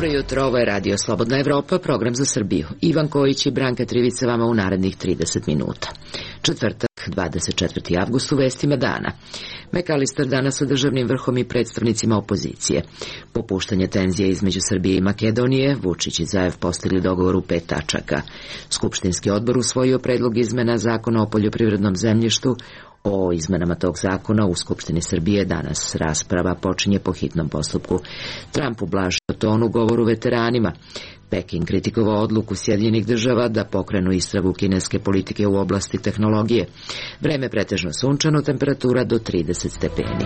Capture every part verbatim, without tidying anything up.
Dobro jutro, ovo je Radio Slobodna Evropa, program za Srbiju. Ivan Kojić i Branka Trivica vama u narednih trideset minuta. Četvrtak, dvadeset četvrti avgust, u vestima dana. McAllister danas sa državnim vrhom i predstavnicima opozicije. Popuštanje tenzije između Srbije i Makedonije, Vučić i Zaev postigli dogovor u pet tačaka. Skupštinski odbor usvojio predlog izmena zakona o poljoprivrednom zemljištu. O izmenama tog zakona u Skupštini Srbije danas rasprava počinje po hitnom postupku. Trump ublažio ton u govoru veteranima. Peking kritikovao odluku Sjedinjenih država da pokrenu istragu kineske politike u oblasti tehnologije. Vreme pretežno sunčano, temperatura do trideset stepeni.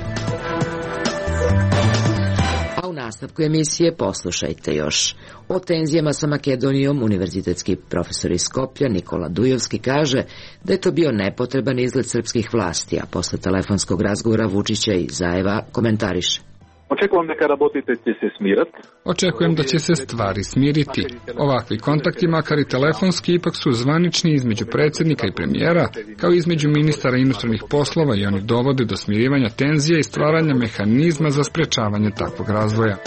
A u nastavku emisije poslušajte još. O tenzijama sa Makedonijom univerzitetski profesor iz Skoplja Nikola Dujovski kaže da je to bio nepotreban izlet srpskih vlasti, a posle telefonskog razgovora Vučića i Zaeva komentariše. Očekujem da работите će se smirati. Očekujem da će se stvari smiriti. Ovakvi kontakti, makar i telefonski, ipak su zvanični između predsjednika i premijera, kao i između ministara inostranih poslova, i oni dovode do smirivanja tenzija i stvaranja mehanizma za sprečavanje takvog razvoja.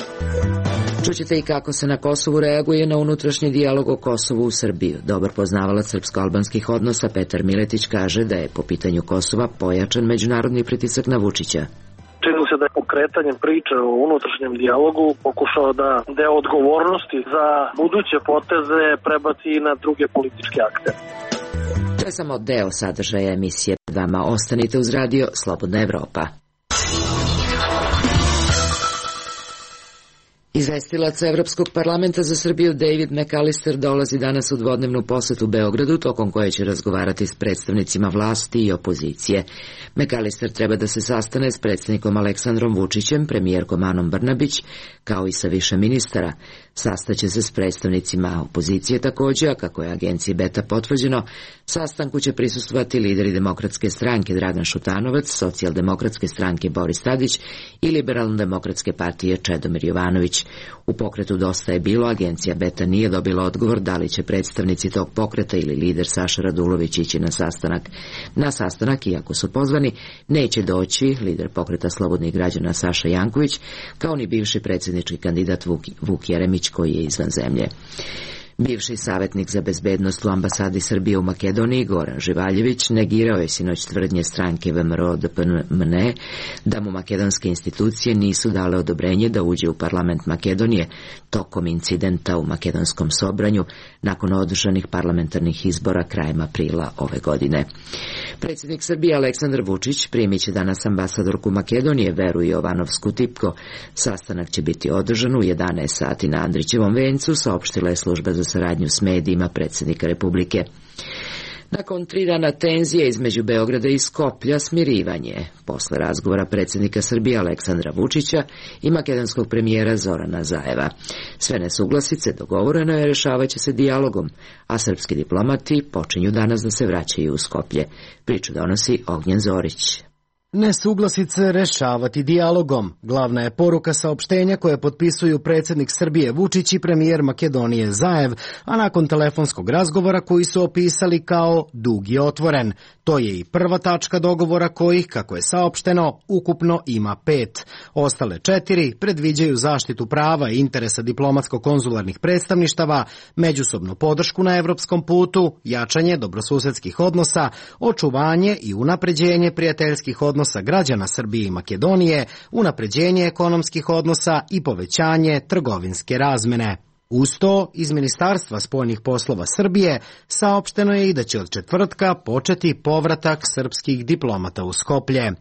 Čućete i kako se na Kosovu reaguje na unutrašnji dijalog o Kosovu u Srbiju. Dobar poznavalac srpsko-albanskih odnosa Petar Miletić kaže da je po pitanju Kosova pojačan međunarodni pritisak na Vučića. Čini se da je pokretanjem priče o unutrašnjem dijalogu pokušao da deo odgovornosti za buduće poteze prebaci i na druge političke akte. To je samo deo sadržaja emisije. Vama ostanite uz Radio Slobodna Evropa. Izvestilac Evropskog parlamenta za Srbiju David McAllister dolazi danas u dvodnevnu posetu Beogradu, tokom koje će razgovarati s predstavnicima vlasti i opozicije. McAllister treba da se sastane s predsjednikom Aleksandrom Vučićem, premijerkom Anom Brnabić, kao i sa više ministara. Sastaće se s predstavnicima opozicije također, a kako je agenciji Beta potvrđeno, sastanku će prisustvovati lideri Demokratske stranke Dragan Šutanovac, Socijaldemokratske stranke Boris Tadić i Liberalno-demokratske partije Čedomir Jovanović. U pokretu Dosta je bilo, agencija Beta nije dobila odgovor da li će predstavnici tog pokreta ili lider Saša Radulović ići na sastanak. Na sastanak, iako su pozvani, neće doći lider pokreta Slobodnih građana Saša Janković, kao ni bivši predsjednički kandidat Vuk, Vuk Jeremić, koji je izvan zemlje. Bivši savjetnik za bezbednost u ambasadi Srbije u Makedoniji, Goran Živaljević, negirao je sinoć tvrdnje stranke V M R O D P M N E da mu makedonske institucije nisu dale odobrenje da uđe u parlament Makedonije tokom incidenta u makedonskom Sobranju nakon održanih parlamentarnih izbora krajem aprila ove godine. Predsjednik Srbije Aleksandar Vučić primit će danas ambasadorku Makedonije Veru Jovanovsku Tipko. Sastanak će biti održan u jedanaest sati na Andrićevom vencu, saopštila je služba za saradnju s medijima predsjednika Republike. Nakon tri dana tenzije između Beograda i Skoplja, smirivanje posle razgovora predsjednika Srbije Aleksandra Vučića i makedonskog premijera Zorana Zaeva. Sve nesuglasice dogovoreno je rešavat će se dijalogom, a srpski diplomati počinju danas da se vraćaju u Skoplje. Priču donosi Ognjen Zorić. Nesuglasice rešavati dijalogom. Glavna je poruka saopštenja koje potpisuju predsjednik Srbije Vučić i premijer Makedonije Zaev, a nakon telefonskog razgovora koji su opisali kao dug i otvoren. To je i prva tačka dogovora kojih, kako je saopšteno, ukupno ima pet. Ostale četiri predviđaju zaštitu prava i interesa diplomatsko-konzularnih predstavništava, međusobnu podršku na evropskom putu, jačanje dobrosusedskih odnosa, očuvanje i unapređenje prijateljskih odnosa odnosa građana Srbije i Makedonije, unapređenje ekonomskih odnosa i povećanje trgovinske razmene. Uz to, iz Ministarstva spoljnih poslova Srbije saopšteno je i da će od četvrtka početi povratak srpskih diplomata u Skoplje.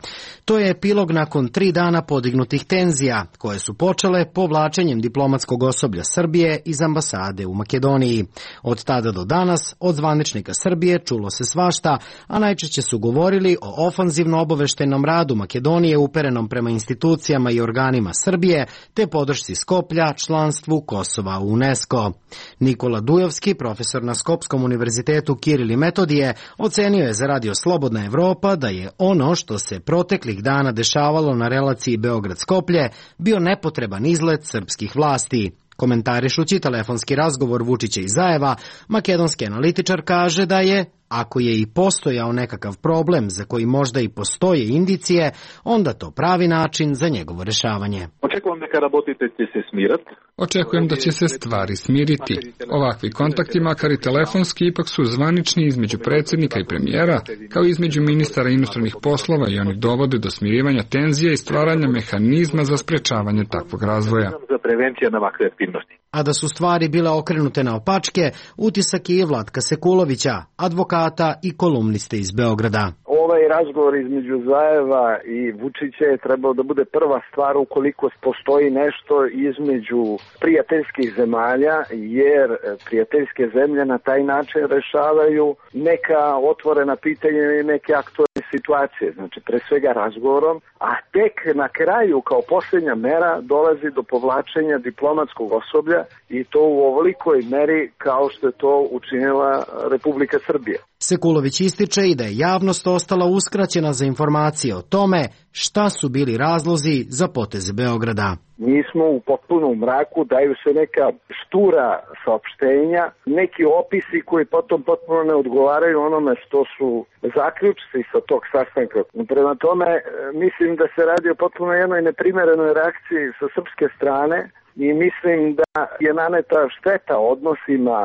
To je epilog nakon tri dana podignutih tenzija, koje su počele povlačenjem diplomatskog osoblja Srbije iz ambasade u Makedoniji. Od tada do danas, od zvaničnika Srbije čulo se svašta, a najčešće su govorili o ofanzivno obaveštajnom radu Makedonije uperenom prema institucijama i organima Srbije, te podršci Skoplja članstvu Kosova u UNESCO. Nikola Dujovski, profesor na Skopskom univerzitetu Kiril i Metodije, ocenio je za Radio Slobodna Evropa da je ono što se proteklih dana dešavalo na relaciji Beograd-Skoplje bio nepotreban izlet srpskih vlasti. Komentarišući telefonski razgovor Vučića i Zajeva, makedonski analitičar kaže da je, ako je i postojao nekakav problem za koji možda i postoje indicije, onda to pravi način za njegovo rešavanje. Očekujem neka работите će se smirat. Očekujem da će se stvari smiriti. Ovakvi kontakti, makar i telefonski, ipak su zvanični između predsjednika i premijera, kao i između ministara inostranih poslova i oni dovode do smirivanja tenzija i stvaranja mehanizma za sprečavanje takvog razvoja. Za prevencija na ovakve aktivnosti. A da su stvari bile okrenute na opačke, utisak je i Vlatka Sekulovića, advokata i kolumniste iz Beograda. Ovaj razgovor između Zajeva i Vučića je trebao da bude prva stvar ukoliko postoji nešto između prijateljskih zemalja, jer prijateljske zemlje na taj način rešavaju neka otvorena pitanja i neke aktualne situacije, znači pre svega razgovorom, a tek na kraju kao posljednja mera dolazi do povlačenja diplomatskog osoblja i to u ovolikoj meri kao što je to učinila Republika Srbija. Sekulović ističe i da je javnost ostala uskraćena za informacije o tome šta su bili razlozi za poteze Beograda. Mi smo u potpunom mraku, daju se neka štura saopštenja, neki opisi koji potom potpuno ne odgovaraju onome što su zaključci sa tog sastanka. Prema tome, mislim da se radi o potpuno jednoj neprimerenoj reakciji sa srpske strane i mislim da je naneta šteta odnosima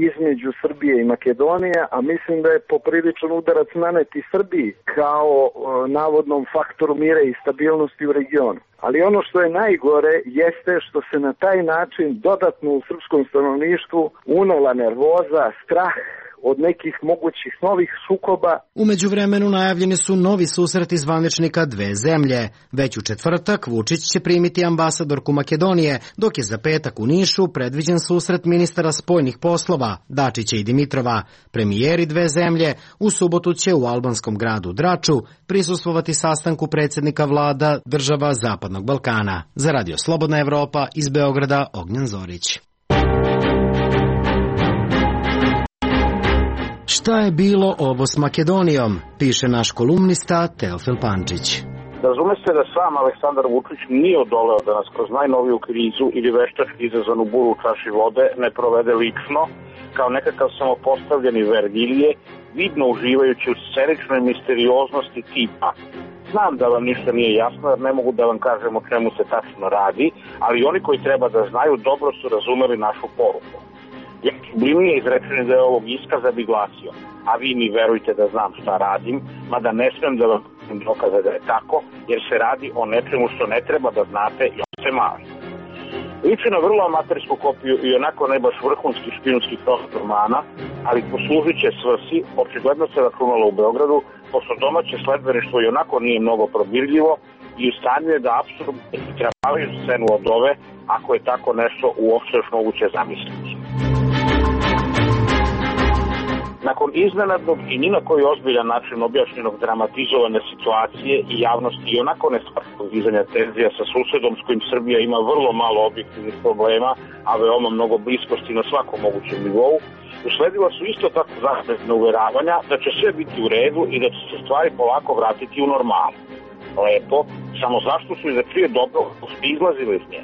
između Srbije i Makedonije, a mislim da je popriličan udarac naneti Srbiji kao navodnom faktoru mira i stabilnosti u regionu. Ali ono što je najgore jeste što se na taj način dodatno u srpskom stanovništvu unela nervoza, strah od nekih mogućih novih sukoba. U međuvremenu najavljeni su novi susreti zvaničnika dve zemlje. Već u četvrtak Vučić će primiti ambasadorku Makedonije, dok je za petak u Nišu predviđen susret ministara spoljnih poslova Dačića i Dimitrova. Premijeri dve zemlje u subotu će u albanskom gradu Draču prisustvovati sastanku predsjednika vlada država Zapadnog Balkana. Za Radio Slobodna Evropa iz Beograda, Ognjen Zorić. Šta je bilo ovo s Makedonijom, piše naš kolumnista Teofil Pančić. Razume se da sam Aleksandar Vučić nije odoleo da nas kroz najnoviju krizu ili veštački izazvanu buru u čaši vode ne provede lično, kao nekakav samopostavljeni Vergilije, vidno uživajući u sceničnoj misterioznosti tipa. Znam da vam ništa nije jasno jer ne mogu da vam kažem o čemu se tačno radi, ali oni koji treba da znaju dobro su razumeli našu poruku. Ja sublimnije izrečeni da je ovog iskaza bi glasio, a vi mi verujte da znam šta radim, mada ne smem da vam dokaze da je tako, jer se radi o nečemu što ne treba da znate i on se mali. Liči na vrlo amatersku kopiju i onako ne baš vrhunski špijunski prostor romana, ali poslužit će svrsi, očigledno se računalo u Beogradu, pošto domaće sledbeništvo i onako nije mnogo probirljivo i u stanju je da apsolutno istrapavaju scenu od ove, ako je tako nešto uopšte još moguće zamisliti. Nakon iznenadnog i ni na koji ozbiljan način objašnjenog dramatizovane situacije i javnosti i onako nestvarnog dizanja tenzija sa susedom s kojim Srbija ima vrlo malo objektivnih problema, a veoma mnogo bliskosti na svakom mogućem nivou, usledila su isto tako zaštitna uveravanja da će sve biti u redu i da će se stvari polako vratiti u normalu. Lepo, samo zašto su i za čije dobro izlazili iz nje?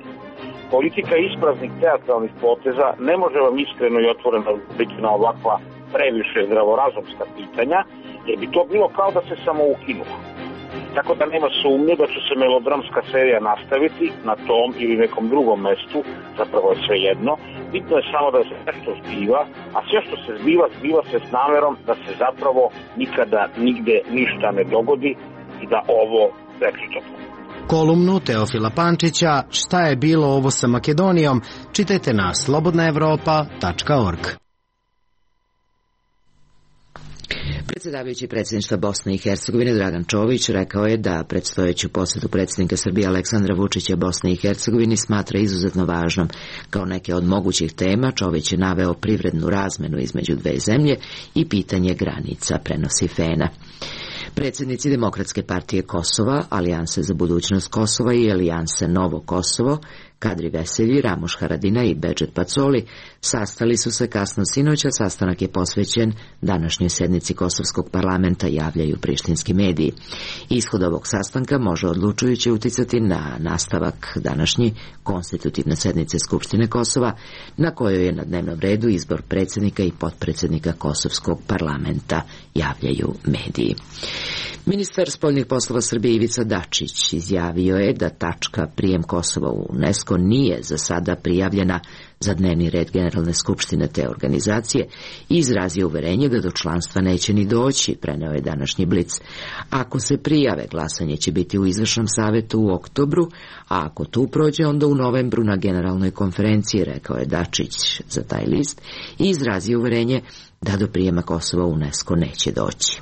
Politika ispraznih teatralnih poteza ne može vam iskreno i otvoreno biti na ovakva previše zdravorazumska pitanja, jer bi to bilo kao da se samo ukinulo. Tako da nema sumnje da će se melodramska serija nastaviti na tom ili nekom drugom mestu, zapravo je sve jedno. Bitno je samo da se nešto zbiva, a sve što se zbiva, zbiva se s namerom da se zapravo nikada nigde ništa ne dogodi i da ovo prekričamo. Kolumnu Teofila Pančića Šta je bilo ovo sa Makedonijom čitajte na slobodna evropa tačka org. Predsjedavajući predsjedništva Bosne i Hercegovine Dragan Čović rekao je da predstojeću posjetu predsjednika Srbije Aleksandra Vučića Bosne i Hercegovini smatra izuzetno važnom. Kao neke od mogućih tema Čović je naveo privrednu razmenu između dve zemlje i pitanje granica, prenosi Fena. Predsjednici Demokratske partije Kosova, Alijanse za budućnost Kosova i Alijanse Novo Kosovo Kadri Veselji, Ramuš Haradina i Bedžet Pacoli sastali su se kasno sinoća. Sastanak je posvećen današnjoj sednici Kosovskog parlamenta, javljaju prištinski mediji. Ishod ovog sastanka može odlučujuće uticati na nastavak današnji konstitutivne sednice Skupštine Kosova, na kojoj je na dnevnom redu izbor predsjednika i potpredsjednika Kosovskog parlamenta, javljaju mediji. Ministar spoljnih poslova Srbije Ivica Dačić izjavio je da tačka prijem Kosova u UNESCO nije za sada prijavljena za dnevni red Generalne skupštine te organizacije i izrazio uverenje da do članstva neće ni doći, preneo je današnji Blic. Ako se prijave, glasanje će biti u izvršnom savetu u oktobru, a ako tu prođe, onda u novembru na generalnoj konferenciji, rekao je Dačić za taj list i izrazio uverenje da do prijema Kosova u UNESCO neće doći.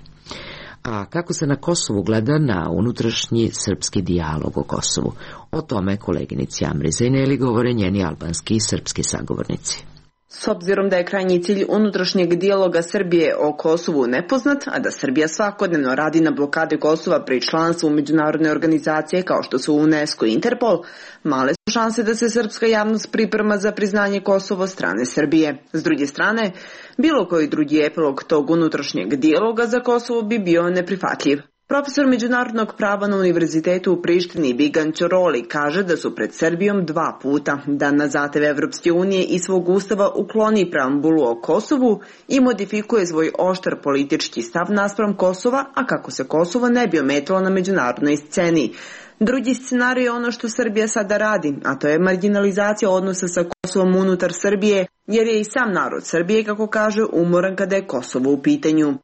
A kako se na Kosovu gleda na unutrašnji srpski dijalog o Kosovu? O tome koleginici Amri Zejneli govore njeni albanski i srpski sagovornici. S obzirom da je krajnji cilj unutrašnjeg dijaloga Srbije o Kosovu nepoznat, a da Srbija svakodnevno radi na blokade Kosova pri članstvu u međunarodne organizacije kao što su UNESCO i Interpol, male su šanse da se srpska javnost priprema za priznanje Kosova strane Srbije. S druge strane, bilo koji drugi epilog tog unutrašnjeg dijaloga za Kosovo bi bio neprihvatljiv. Profesor međunarodnog prava na univerzitetu u Prištini Bigan Ćoroli kaže da su pred Srbijom dva puta da na zahtev Evropske unije i svog ustava ukloni preambulu o Kosovu i modifikuje svoj oštar politički stav naspram Kosova, a kako se Kosovo ne bi ometalo na međunarodnoj sceni. Drugi scenarij je ono što Srbija sada radi, a to je marginalizacija odnosa sa Kosovom unutar Srbije, jer je i sam narod Srbije, kako kaže, umoran kada je Kosovo u pitanju.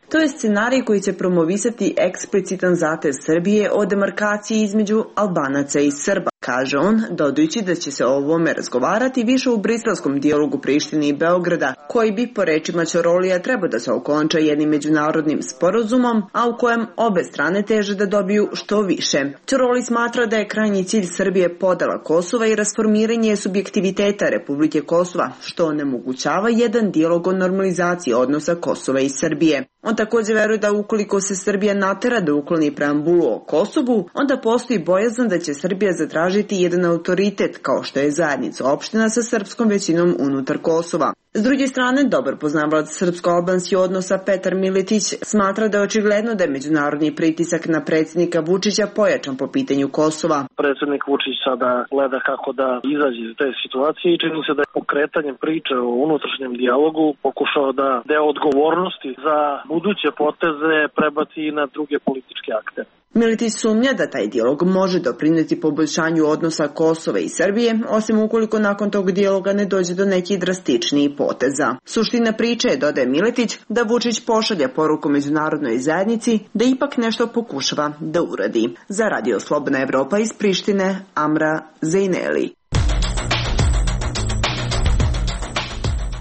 To je scenarij koji će promovisati eksplicitan zahtev Srbije o demarkaciji između Albanaca i Srba, kaže on, dodajući da će se o ovome razgovarati više u briselskom dijalogu Prištine i Beograda, koji bi, po rečima Ćorolija, trebao da se okonča jednim međunarodnim sporazumom, a u kojem obe strane teže da dobiju što više. Ćoroli smatra da je krajnji cilj Srbije podela Kosova i rasformiranje subjektiviteta Republike Kosova, što onemogućava jedan dijalog o normalizaciji odnosa Kosova i Srbije. On također veruje da ukoliko se Srbija natera da ukloni preambulu o Kosovu, onda postoji bojazan da će Srbija zatražiti jedan autoritet kao što je zajednica opština sa srpskom većinom unutar Kosova. S druge strane, dobar poznavalac srpsko-albanskih odnosa Petar Miletić smatra da je očigledno da je međunarodni pritisak na predsjednika Vučića pojačan po pitanju Kosova. Predsjednik Vučić sada gleda kako da izađe iz te situacije i čini se da je pokretanjem priče o unutrašnjem dijalogu pokušao da deo odgovornosti za buduće poteze prebaci na druge političke akte. Miletić sumnja da taj dijalog može doprineti poboljšanju odnosa Kosova i Srbije, osim ukoliko nakon tog dijaloga ne dođe do nekih drastičnijih poteza. Suština priče je, dodaje Miletić, da Vučić pošalja poruku međunarodnoj zajednici da ipak nešto pokušava da uradi. Za Radio Slobodna Evropa iz Prištine, Amra Zejneli.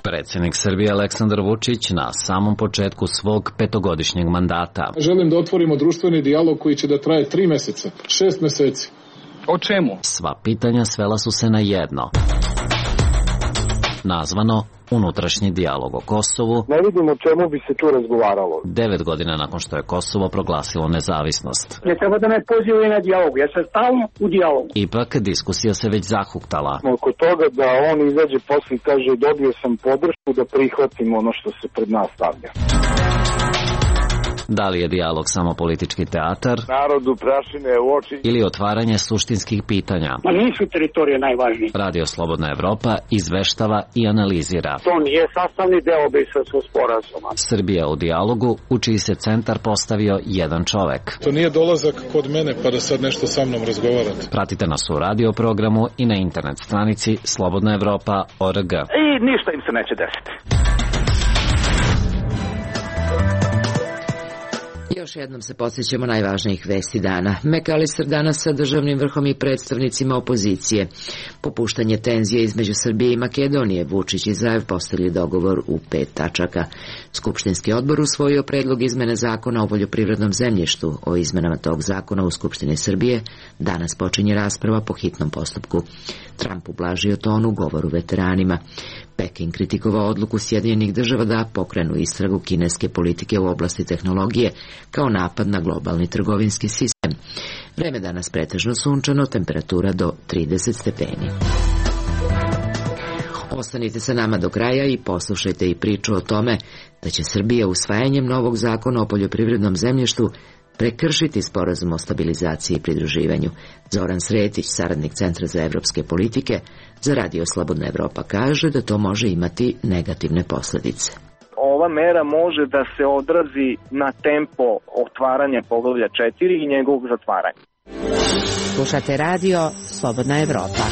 Predsjednik Srbije Aleksandar Vučić na samom početku svog petogodišnjeg mandata. Želim da otvorimo društveni dijalog koji će da traje tri meseca, šest meseci. O čemu? Sva pitanja svela su se na jedno. Nazvano unutrašnji dijalog o Kosovu. Ne vidim o čemu bi se tu razgovaralo. Devet godina nakon što je Kosovo proglasilo nezavisnost. Ne treba da me pozivaju na dijalog, ja sam stalno u dijalogu. Ipak diskusija se već zahuktala. Oko toga da on izađe posle i kaže dobio sam podršku da prihvatim ono što se pred nas stavlja. Da li je dijalog samo politički teatar? Narodu prašine u oči. Ili otvaranje suštinskih pitanja? Ma nisu teritorije najvažnije. Radio Slobodna Evropa izveštava i analizira. To nije sastavni deo Briselskog sporazuma. Srbija u dijalogu, u čiji se centar postavio jedan čovek. To nije dolazak kod mene pa da sad nešto sa mnom razgovarate. Pratite nas u radio programu i na internet stranici slobodna evropa tačka org. I ništa im se neće desiti. Još jednom se podsjećamo najvažnijih vesti dana. McAllister danas sa državnim vrhom i predstavnicima opozicije. Popuštanje tenzije između Srbije i Makedonije. Vučić i Zaev postigli dogovor u pet tačaka. Skupštinski odbor usvojio predlog izmene zakona o poljoprivrednom zemljištu. O izmenama tog zakona u Skupštini Srbije danas počinje rasprava po hitnom postupku. Trump ublažio ton u govoru veteranima. Peking kritikovao odluku Sjedinjenih država da pokrenu istragu kineske politike u oblasti tehnologije kao napad na globalni trgovinski sistem. Vreme danas pretežno sunčano, temperatura do trideset stepeni. Ostanite sa nama do kraja i poslušajte i priču o tome da će Srbija usvajanjem novog zakona o poljoprivrednom zemljištu prekršiti sporazum o stabilizaciji i pridruživanju. Zoran Sretić, saradnik Centra za evropske politike, za Radio Slobodna Evropa kaže da to može imati negativne posledice. Ova mera može da se odrazi na tempo otvaranja poglavlja četiri i njegovog zatvaranja. Slušate Radio Slobodna Evropa.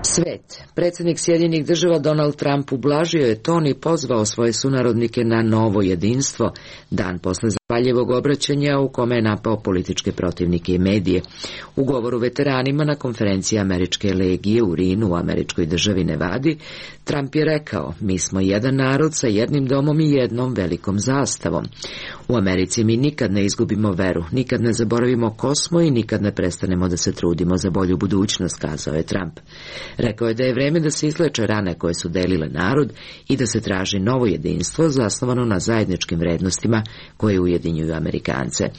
Svet. Predsjednik Sjedinjenih država Donald Trump ublažio je ton i pozvao svoje sunarodnike na novo jedinstvo, dan posle zapaljivog obraćanja u kome je napao političke protivnike i medije. U govoru veteranima na konferenciji Američke legije u Rinu u američkoj državi Nevadi, Trump je rekao: mi smo jedan narod sa jednim domom i jednom velikom zastavom. U Americi mi nikad ne izgubimo veru, nikad ne zaboravimo ko smo i nikad ne prestanemo da se trudimo za bolju budućnost, kazao je Trump. Rekao je da je vreme da se izleče rane koje su delile narod i da se traži novo jedinstvo zasnovano na zajedničkim vrednostima koje ujedinjuju Amerikance.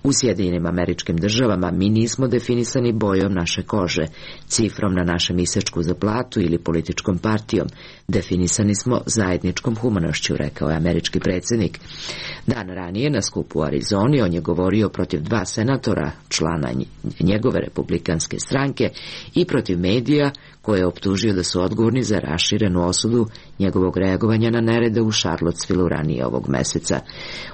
U Sjedinjenim Američkim Državama mi nismo definisani bojom naše kože, cifrom na našem isečku za platu ili političkom partijom. Definisani smo zajedničkom humanošću, rekao je američki predsjednik. Dan ranije na skupu u Arizoni on je govorio protiv dva senatora, člana njegove republikanske stranke, i protiv medija koje je optužio da su odgovorni za raširenu osudu njegovog reagovanja na nerede u Charlottesvilleu ranije ovog meseca.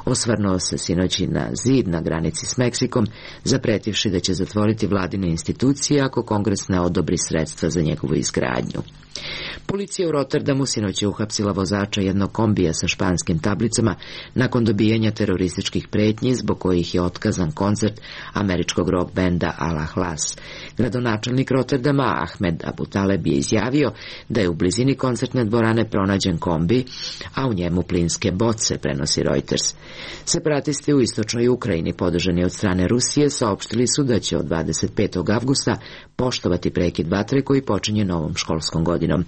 Osvrnuo se sinoć na zid na granici s Meksikom, zapretivši da će zatvoriti vladine institucije ako Kongres ne odobri sredstva za njegovu izgradnju. Policija u Rotterdamu sinoć je uhapsila vozača jednog kombija sa španskim tablicama nakon dobijanja terorističkih pretnji zbog kojih je otkazan koncert američkog rock benda Al-Ahlas. Gradonačelnik Rotterdama Ahmed Abu Taleb je izjavio da je u blizini koncertne dvorane pronađen kombi, a u njemu plinske boce, prenosi Reuters. Separatisti u istočnoj Ukrajini, podržani od strane Rusije, saopštili su da će od dvadeset petog avgusta poštovati prekid vatre koji počinje novom školskom godinom.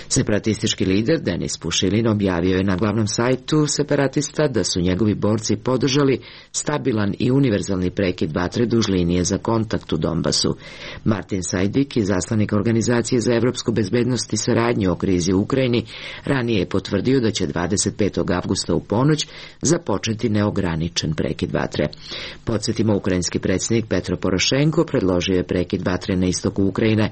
Separatistički lider Denis Pušilin objavio je na glavnom sajtu separatista da su njegovi borci podržali stabilan i univerzalni prekid vatre duž linije za kontakt u Donbasu. Martin Sajdik, izaslanik Organizacije za evropsku bezbednost i saradnju o krizi u Ukrajini, ranije je potvrdio da će dvadeset petog avgusta u ponoć započeti neograničen prekid vatre. Podsjetimo, ukrajinski predsjednik Petro Porošenko predložio je prekid vatre na istoku Ukrajine,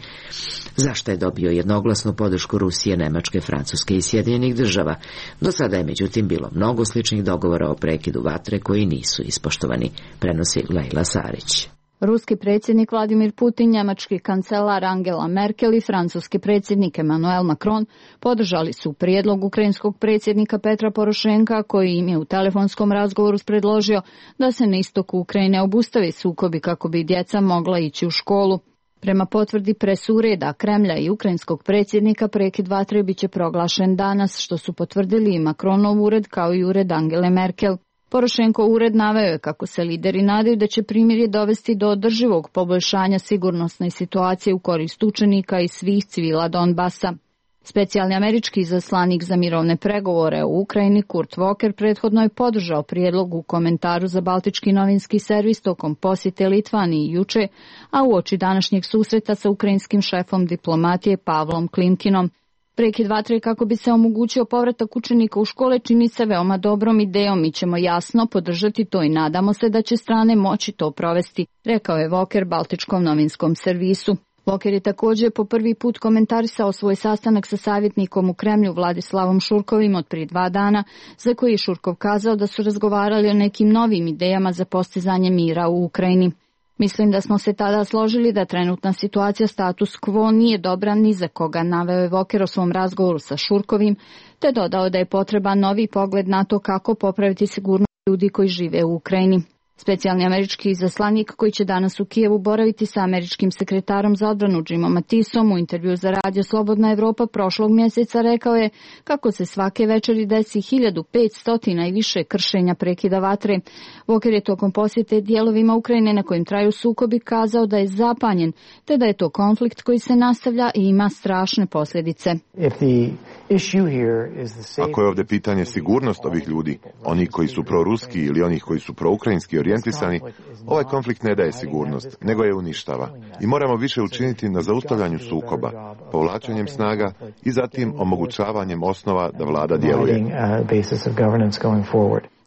zašto je dobio jednoglasnu podršku Rusije, Nemačke, Francuske i Sjedinjenih država. Do sada je međutim bilo mnogo sličnih dogovora o prekidu vatre koji nisu ispoštovani, prenosi Lejla Sarić. Ruski predsjednik Vladimir Putin, njemački kancelar Angela Merkel i francuski predsjednik Emmanuel Macron podržali su prijedlog ukrajinskog predsjednika Petra Porošenka, koji im je u telefonskom razgovoru predložio da se na istoku Ukrajine obustavi sukobi kako bi djeca mogla ići u školu. Prema potvrdi presureda Kremlja i ukrajinskog predsjednika, prekid vatre biće proglašen danas, što su potvrdili i Macronov ured kao i ured Angele Merkel. Porošenko ured naveo je kako se lideri nadaju da će primirje dovesti do održivog poboljšanja sigurnosne situacije u korist učenika i svih civila Donbasa. Specijalni američki izaslanik za mirovne pregovore u Ukrajini Kurt Walker prethodno je podržao prijedlog u komentaru za baltički novinski servis tokom posjete Litvaniji juče, a uoči današnjeg susreta sa ukrajinskim šefom diplomatije Pavlom Klimkinom. Prekid vatre kako bi se omogućio povratak učenika u škole čini se veoma dobrom idejom. Mi ćemo jasno podržati to i nadamo se da će strane moći to provesti, rekao je Walker baltičkom novinskom servisu. Walker je također po prvi put komentarisao svoj sastanak sa savjetnikom u Kremlju Vladislavom Šurkovim od prije dva dana, za koji je Šurkov kazao da su razgovarali o nekim novim idejama za postizanje mira u Ukrajini. Mislim da smo se tada složili da trenutna situacija status quo nije dobra ni za koga, naveo je Walker o svom razgovoru sa Šurkovim, te dodao da je potreban novi pogled na to kako popraviti sigurnost ljudi koji žive u Ukrajini. Specijalni američki izaslanik koji će danas u Kijevu boraviti sa američkim sekretarom za odbranu Jimom Mattisom u intervju za Radio Slobodna Evropa prošlog mjeseca rekao je kako se svake večeri desi hiljadu petsto i više kršenja prekida vatre. Walker je tokom posjete dijelovima Ukrajine na kojim traju sukobi kazao da je zapanjen, te da je to konflikt koji se nastavlja i ima strašne posljedice. Ako je ovdje pitanje sigurnost ovih ljudi, oni koji su proruski ili oni koji su proukrajinski orijentirani, orijentisani, ovaj konflikt ne daje sigurnost, nego je uništava. I moramo više učiniti na zaustavljanju sukoba, povlačenjem snaga i zatim omogućavanjem osnova da vlada djeluje.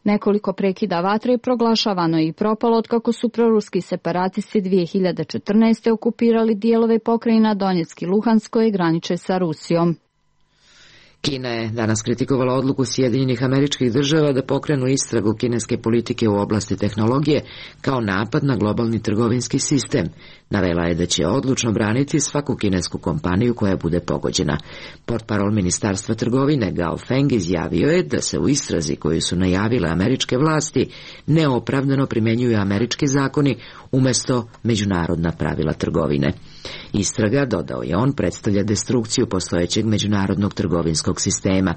Nekoliko prekida vatre je proglašavano i propalo otkako su proruski separatisti dvije hiljade četrnaeste. okupirali dijelove pokrajina Donjeck i Luhansk koje graniče sa Rusijom. Kina je danas kritikovala odluku Sjedinjenih Američkih Država da pokrenu istragu kineske politike u oblasti tehnologije kao napad na globalni trgovinski sistem. Navela je da će odlučno braniti svaku kinesku kompaniju koja bude pogođena. Portparol Ministarstva trgovine Gao Feng izjavio je da se u istrazi koju su najavile američke vlasti neopravdano primenjuju američki zakoni umjesto međunarodna pravila trgovine. Istraga, dodao je on, predstavlja destrukciju postojećeg međunarodnog trgovinskog sistema.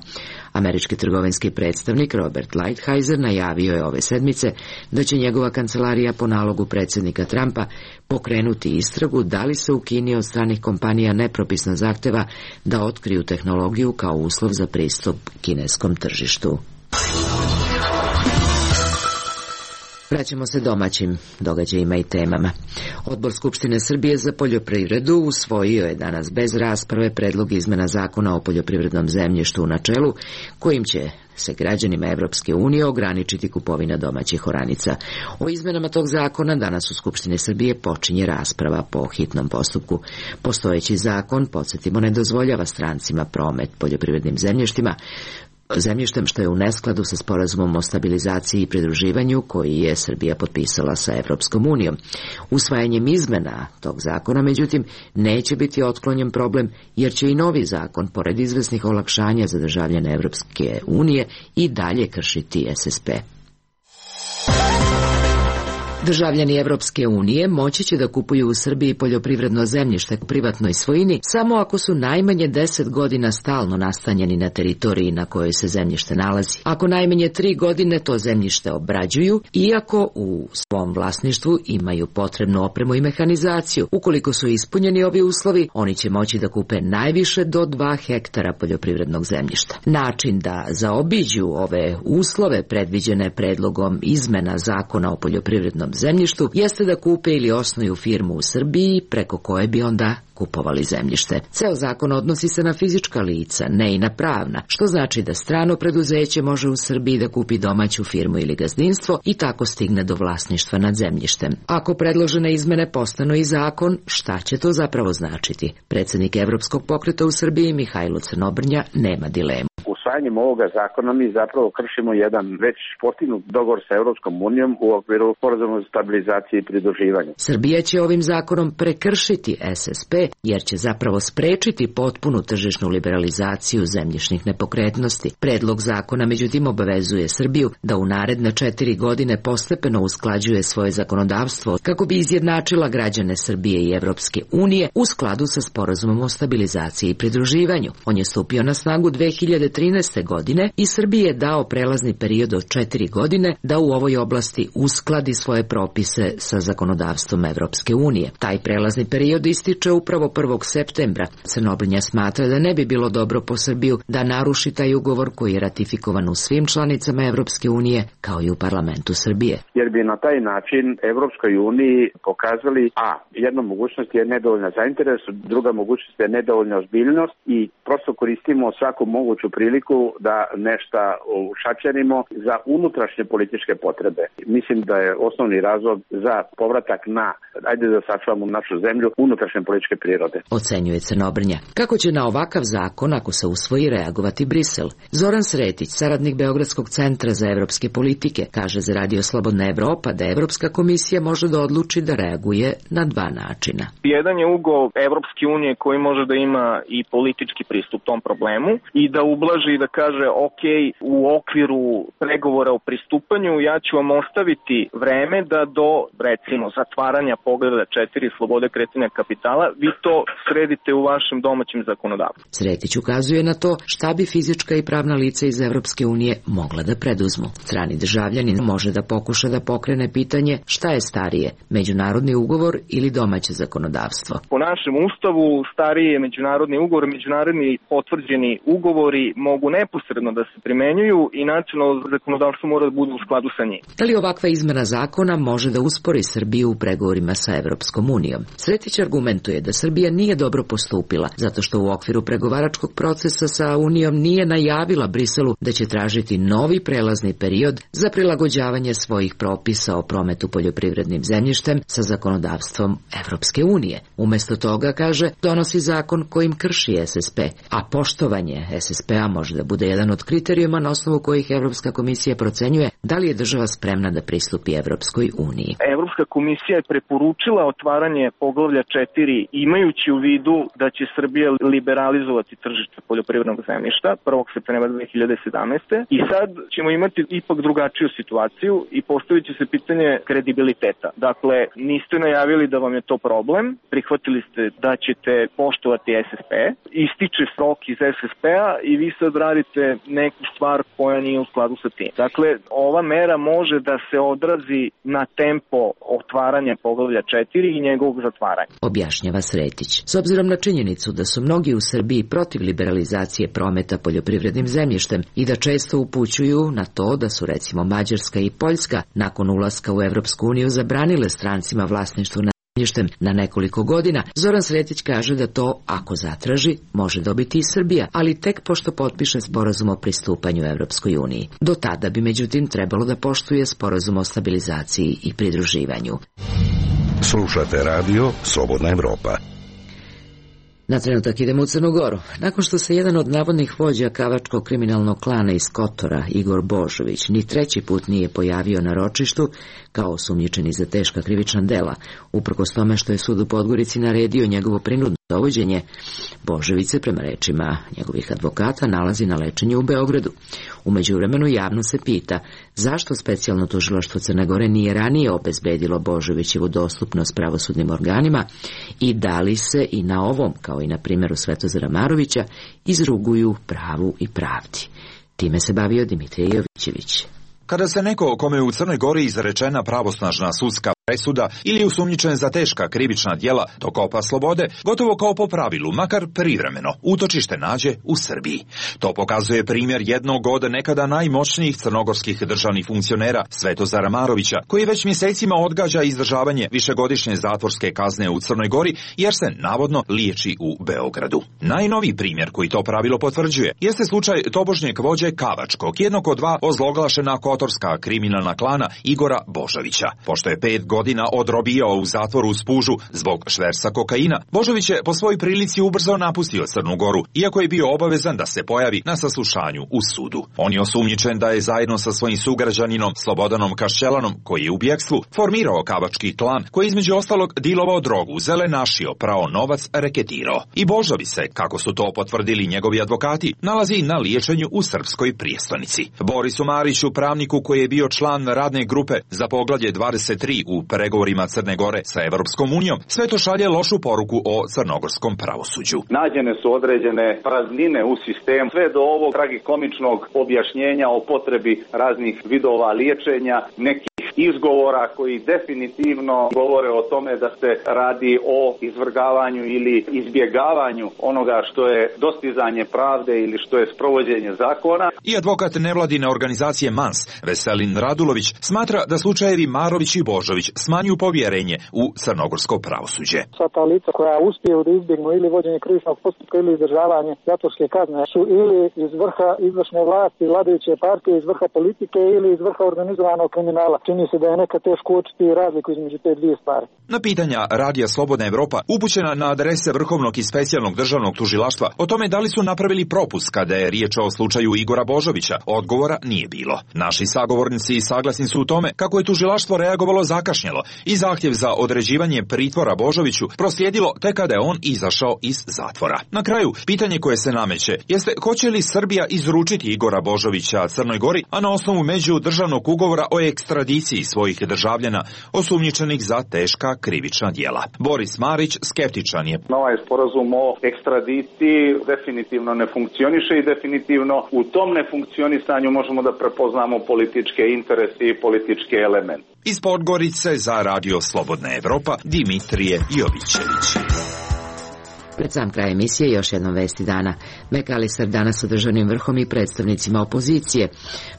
Američki trgovinski predstavnik Robert Lighthizer najavio je ove sedmice da će njegova kancelarija po nalogu predsjednika Trumpa pokrenuti istragu da li se u Kini od stranih kompanija nepropisno zahteva da otkriju tehnologiju kao uslov za pristup kineskom tržištu. Vraćamo se domaćim događajima i temama. Odbor Skupštine Srbije za poljoprivredu usvojio je danas bez rasprave predlog izmena zakona o poljoprivrednom zemljištu u načelu, kojim će se građanima Evropske unije ograničiti kupovina domaćih oranica. O izmenama tog zakona danas u Skupštini Srbije počinje rasprava po hitnom postupku. Postojeći zakon, podsjetimo, ne dozvoljava strancima promet poljoprivrednim zemljištima, zemljištem što je u neskladu sa sporazumom o stabilizaciji i pridruživanju koji je Srbija potpisala sa Evropskom unijom. Usvajanjem izmena tog zakona, međutim, neće biti otklonjen problem jer će i novi zakon, pored izvesnih olakšanja za državljane Evropske unije, i dalje kršiti S S P. Državljani Evropske unije moći će da kupuju u Srbiji poljoprivredno zemljište u privatnoj svojini samo ako su najmanje deset godina stalno nastanjeni na teritoriji na kojoj se zemljište nalazi. Ako najmanje tri godine to zemljište obrađuju, iako u svom vlasništvu imaju potrebnu opremu i mehanizaciju. Ukoliko su ispunjeni ovi uslovi, oni će moći da kupe najviše do dva hektara poljoprivrednog zemljišta. Način da zaobiđu ove uslove predviđene predlogom izmena zakona o poljoprivrednom zemljištu jeste da kupe ili osnuju firmu u Srbiji preko koje bi onda kupovali zemljište. Ceo zakon odnosi se na fizička lica, ne i na pravna, što znači da strano preduzeće može u Srbiji da kupi domaću firmu ili gazdinstvo i tako stigne do vlasništva nad zemljištem. Ako predložene izmene postanu i zakon, šta će to zapravo značiti? Predsjednik Evropskog pokreta u Srbiji Mihajlo Crnobrnja nema dilemu. Usvajanjem ovoga zakona mi zapravo kršimo jedan već postignut dogovor sa Evropskom unijom u okviru sporazuma za stabilizaciju i pridruživanje. Srbija će ovim zakonom prekršiti S S P jer će zapravo sprečiti potpunu tržišnu liberalizaciju zemljišnih nepokretnosti. Predlog zakona međutim obavezuje Srbiju da u naredne četiri godine postepeno usklađuje svoje zakonodavstvo kako bi izjednačila građane Srbije i Evropske unije u skladu sa sporazumom o stabilizaciji i pridruživanju. On je stupio na snagu dve hiljade trinaeste. godine i Srbiji je dao prelazni period od četiri godine da u ovoj oblasti uskladi svoje propise sa zakonodavstvom Evropske unije. Taj prelazni period ističe upravo prvog septembra. Crnobrnja smatra da ne bi bilo dobro po Srbiju da naruši taj ugovor koji je ratifikovan u svim članicama Evropske unije kao i u parlamentu Srbije. Jer bi na taj način Evropskoj uniji pokazali a, jedna mogućnost je nedovoljna zainteresu, druga mogućnost je nedovoljna ozbiljnost i prosto koristimo svaku moguću priliku da nešto ušačerimo za unutrašnje političke potrebe. Mislim da je osnovni razlog za povratak na, ajde da sačuvamo našu zemlju, unutrašnje političke prirode. Ocenjuje Crnobrnja. Kako će na ovakav zakon, ako se usvoji, reagovati Brisel? Zoran Sretić, saradnik Beogradskog centra za evropske politike, kaže za Radio Slobodna Evropa da Evropska komisija može da odluči da reaguje na dva načina. Jedan je ugao Evropske unije koji može da ima i politički pristup tom problemu i da ublaži i da kaže ok, u okviru pregovora o pristupanju ja ću vam ostaviti vreme da do, recimo, zatvaranja pogleda četiri slobode kretanja kapitala, vi to sredite u vašem domaćem zakonodavstvu. Sretić ukazuje na to šta bi fizička i pravna lica iz Evropske unije mogla da preduzmu. Strani državljanin može da pokuša da pokrene pitanje šta je starije, međunarodni ugovor ili domaće zakonodavstvo. Po našem ustavu stariji je međunarodni ugovor, međunarodni potvrđeni ugovori mogu mogu neposredno da se primenjuju i nacionalno zakonodavstvo mora da bude u skladu sa njim. Da li ovakva izmena zakona može da uspori Srbiju u pregovorima sa Evropskom unijom? Sretić argumentuje da Srbija nije dobro postupila, zato što u okviru pregovaračkog procesa sa Unijom nije najavila Briselu da će tražiti novi prelazni period za prilagođavanje svojih propisa o prometu poljoprivrednim zemljištem sa zakonodavstvom Evropske unije. Umesto toga, kaže, donosi zakon kojim krši S S P, a poštovanje S S P-a može da bude jedan od kriterijuma na osnovu kojih Evropska komisija procenjuje da li je država spremna da pristupi Evropskoj uniji. Evropska komisija je preporučila otvaranje poglavlja četiri imajući u vidu da će Srbija liberalizovati tržište poljoprivrednog zemljišta prvog septembra dve hiljade sedamnaeste. I sad ćemo imati ipak drugačiju situaciju i postavit će se pitanje kredibiliteta. Dakle, niste najavili da vam je to problem, prihvatili ste da ćete poštovati S S P, ističe rok iz S S P-a i vi sad radite neku stvar koja nije u skladu sa tim. Dakle, ova mera može da se odrazi na tempo otvaranja poglavlja četiri i njegovog zatvaranja. Objašnjava Sretić. S obzirom na činjenicu da su mnogi u Srbiji protiv liberalizacije prometa poljoprivrednim zemljištem i da često upućuju na to da su recimo Mađarska i Poljska nakon ulaska u Evropsku uniju zabranile strancima vlasništvo na zemljištem na nekoliko godina, Zoran Sretić kaže da to, ako zatraži, može dobiti i Srbija, ali tek pošto potpiše sporazum o pristupanju Evropskoj uniji. Do tada bi međutim trebalo da poštuje sporazum o stabilizaciji i pridruživanju. Slušate radio Slobodna Evropa. Na trenutak idemo u Crnu Goru. Nakon što se jedan od navodnih vođa kavačkog kriminalnog klana iz Kotora, Igor Božović, ni treći put nije pojavio na ročištu kao osumnjičeni za teška krivična dela, uprkos tome što je sud u Podgorici naredio njegovo prinudno dovođenje, Božović se, prema rečima njegovih advokata, nalazi na lečenju u Beogradu. U međuvremenu javno se pita zašto specijalno tužilaštvo Crne Gore nije ranije obezbedilo Božovićevu dostupnost pravosudnim organima i da li se i na ovom, kao i na primjeru Svetozara Marovića, izruguju pravu i pravdi. Time se bavio Dimitrije Jovićević. Kada se neko kome je u Crnoj Gori izrečena pravosnažna sudska presuda ili je osumnjičen za teška krivična djela dokopa slobode, gotovo kao po pravilu, makar privremeno, utočište nađe u Srbiji. To pokazuje primjer jednog od nekada najmoćnijih crnogorskih državnih funkcionera Svetozara Marovića, koji već mjesecima odgađa izdržavanje višegodišnje zatvorske kazne u Crnoj Gori jer se navodno liječi u Beogradu. Najnoviji primjer koji to pravilo potvrđuje jeste slučaj tobožnjeg vođe Kavačkog, jednog od dva ozloglašena kotorska kriminalna klana Igora Božovića. Pošto je pet godina odrobijao u zatvoru u Spužu zbog šverca kokaina, Božović je po svojoj prilici ubrzo napustio Crnu Goru, iako je bio obavezan da se pojavi na saslušanju u sudu. On je osumnjičen da je zajedno sa svojim sugrađaninom Slobodanom Kašćelanom, koji je u bjegstvu, formirao kavački klan koji između ostalog dilovao drogu, zelenašio, prao novac, reketirao. I Božović se, kako su to potvrdili njegovi advokati, nalazi na liječenju u srpskoj prijestolnici. Borisu Mariću, pravniku koji je bio član radne grupe za poglavlje dvadeset tri u pregovorima Crne Gore sa Evropskom unijom, sve to šalje lošu poruku o crnogorskom pravosuđu. Nađene su određene praznine u sistemu, sve do ovog tragikomičnog objašnjenja o potrebi raznih vidova liječenja, nekih izgovora koji definitivno govore o tome da se radi o izvrgavanju ili izbjegavanju onoga što je dostizanje pravde ili što je sprovođenje zakona. I advokat nevladine organizacije M A N S, Veselin Radulović, smatra da slučajevi Marović i Božović smanjuju povjerenje u crnogorsko pravosuđe. Sva ta lica koja uspiju da izbjegnu ili vođenje krivičnog postupka ili izdržavanje zatvorske kazne su ili iz vrha izvršne vlasti, vladajuće partije, iz vrha politike ili iz vrha organizovanog kriminala. Čini se da je neka teško uočiti razliku između te dvije stvari. Na pitanja Radija Slobodna Evropa upućena na adrese Vrhovnog i specijalnog državnog tužilaštva o tome da li su napravili propust kada je riječ o slučaju Igora Božovića, odgovora nije bilo. Naši sagovornici saglasni su u tome kako je tužilaštvo reagovalo zakašnjelo i zahtjev za određivanje pritvora Božoviću proslijedilo tek kada je on izašao iz zatvora. Na kraju, pitanje koje se nameće jeste hoće li Srbija izručiti Igora Božovića Crnoj Gori, a na osnovu međudržavnog ugovora o ekstradiciji svojih državljana osumnjičenih za teška krivična djela. Boris Marić skeptičan je. Ovaj sporazum o ekstradiciji definitivno ne funkcioniše i definitivno u tom nefunkcionisanju možemo da prepoznamo političke interese i političke elemente. Iz Podgorice za Radio Slobodna Evropa Dimitrije Jovićević. Pred sam kraj emisije još jednom vesti dana. McAllister danas sa državnim vrhom i predstavnicima opozicije.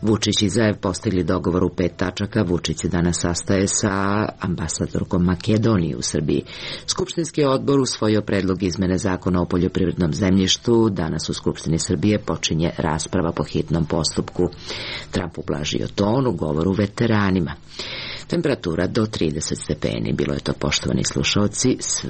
Vučić i Zaev postigli dogovor u pet tačaka. Vučić se danas sastaje sa ambasadorkom Makedonije u Srbiji. Skupštinski odbor usvojio predlog izmene zakona o poljoprivrednom zemljištu. Danas u Skupštini Srbije počinje rasprava po hitnom postupku. Trump ublažio ton u govoru veteranima. Temperatura do trideset stepeni. Bilo je to, poštovani slušalci, sve